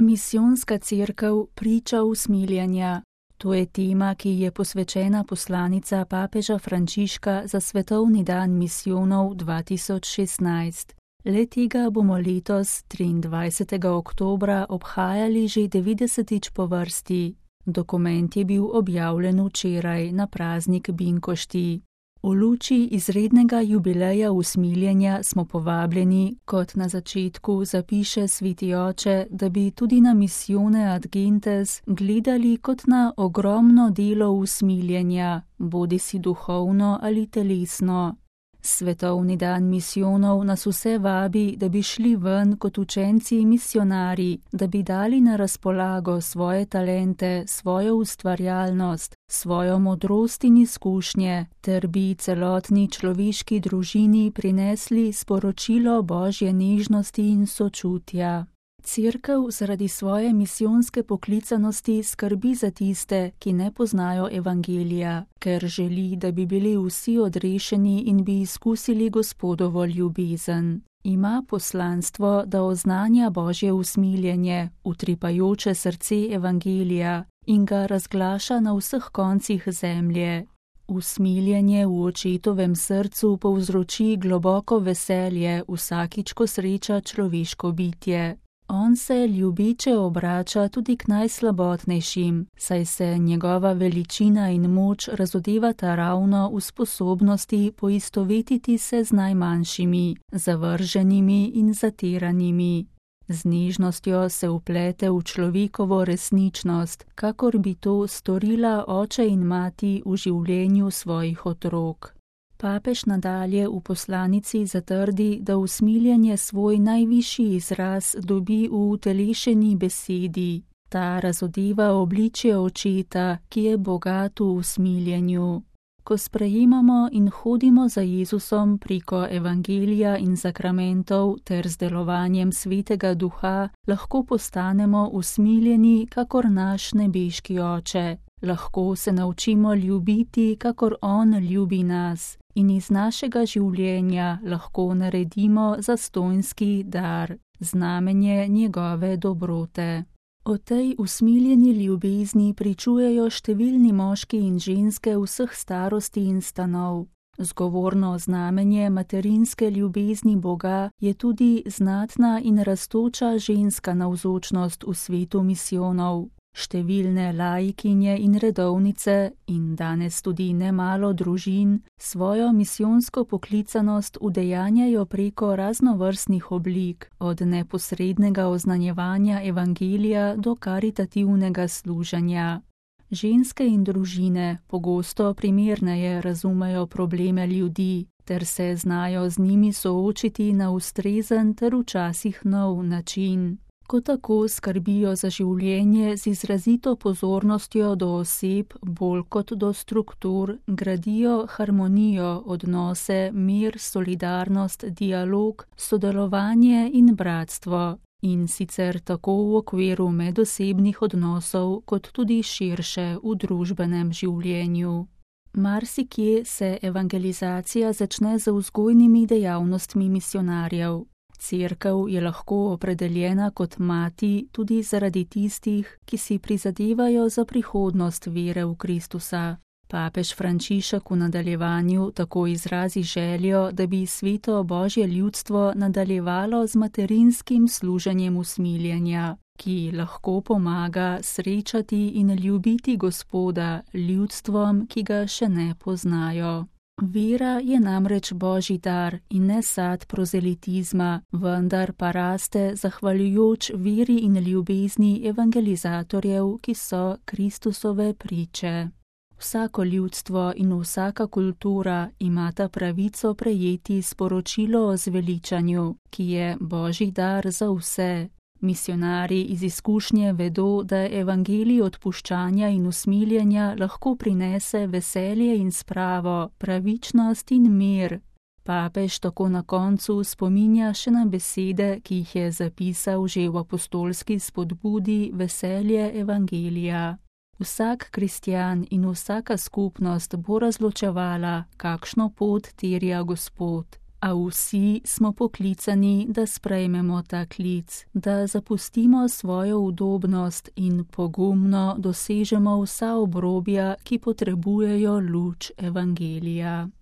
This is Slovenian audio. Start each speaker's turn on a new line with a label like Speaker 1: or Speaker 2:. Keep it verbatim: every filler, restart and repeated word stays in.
Speaker 1: Misijonska cerkev priča usmiljenja. To je tema, ki je posvečena poslanica papeža Frančiška za Svetovni dan misijonov dva tisoč šestnajst. Le tega bomo letos triindvajsetega oktobra obhajali že devetdesetič po vrsti. Dokument je bil objavljen včeraj na praznik Binkošti. V luči izrednega jubileja usmiljenja smo povabljeni, kot na začetku zapiše sveti oče, da bi tudi na Missione ad Gentes gledali kot na ogromno delo usmiljenja, bodisi duhovno ali telesno. Svetovni dan misijonov nas vse vabi, da bi šli ven kot učenci misionarji, da bi dali na razpolago svoje talente, svojo ustvarjalnost, svojo modrost in izkušnje, ter bi celotni človeški družini prinesli sporočilo Božje nežnosti in sočutja. Cerkev zaradi svoje misijonske poklicanosti skrbi za tiste, ki ne poznajo evangelija, ker želi, da bi bili vsi odrešeni in bi izkusili Gospodovo ljubezen. Ima poslanstvo, da oznanja Božje usmiljenje, utripajoče srce evangelija in ga razglaša na vseh koncih zemlje. Usmiljenje v očetovem srcu povzroči globoko veselje vsakič, ko sreča človeško bitje. On se ljubeče obrača tudi k najslabotnejšim, saj se njegova veličina in moč razodevata ravno v sposobnosti poistovetiti se z najmanjšimi, zavrženimi in zatiranimi. Z nežnostjo se vplete v človekovo resničnost, kakor bi to storila oče in mati v življenju svojih otrok. Papež nadalje v poslanici zatrdi, da usmiljenje svoj najvišji izraz dobi v utelešeni besedi. Ta razodeva obličje očeta, ki je bogat v usmiljenju. Ko sprejemamo in hodimo za Jezusom preko evangelija in sakramentov ter z delovanjem Svetega Duha, lahko postanemo usmiljeni, kakor naš nebeški oče. Lahko se naučimo ljubiti, kakor on ljubi nas, in iz našega življenja lahko naredimo zastonjski dar, znamenje njegove dobrote. O tej usmiljeni ljubezni pričujejo številni moški in ženske vseh starosti in stanov. Zgovorno znamenje materinske ljubezni Boga je tudi znatna in rastoča ženska navzočnost v svetu misijonov. Številne laikinje in redovnice in danes tudi nemalo družin svojo misijonsko poklicanost udejanjajo preko raznovrstnih oblik, od neposrednega oznanjevanja evangelija do karitativnega služenja. Ženske in družine pogosto primerneje razumejo probleme ljudi, ter se znajo z njimi soočiti na ustrezen ter včasih nov način. Ko tako skrbijo za življenje z izrazito pozornostjo do oseb, bolj kot do struktur, gradijo harmonijo, odnose, mir, solidarnost, dialog, sodelovanje in bratstvo. In sicer tako v okviru medosebnih odnosov, kot tudi širše v družbenem življenju. Marsikje se evangelizacija začne z vzgojnimi dejavnostmi misionarjev. Cerkev je lahko opredeljena kot mati tudi zaradi tistih, ki si prizadevajo za prihodnost vere v Kristusa. Papež Frančišek v nadaljevanju tako izrazi željo, da bi sveto Božje ljudstvo nadaljevalo z materinskim služenjem usmiljenja, ki lahko pomaga srečati in ljubiti Gospoda ljudstvom, ki ga še ne poznajo. Vera je namreč Božji dar in ne sad prozelitizma, vendar pa raste zahvaljujoč veri in ljubezni evangelizatorjev, ki so Kristusove priče. Vsako ljudstvo in vsaka kultura imata pravico prejeti sporočilo o zveličanju, ki je Božji dar za vse. Misionarji iz izkušnje vedo, da evangelij odpuščanja in usmiljenja lahko prinese veselje in spravo, pravičnost in mir. Papež tako na koncu spominja še na besede, ki jih je zapisal že v apostolski spodbudi Veselje evangelija. Vsak kristjan in vsaka skupnost bo razločevala, kakšno pot terja Gospod. A vsi smo poklicani, da sprejmemo ta klic, da zapustimo svojo udobnost in pogumno dosežemo vsa obrobja, ki potrebujejo luč evangelija.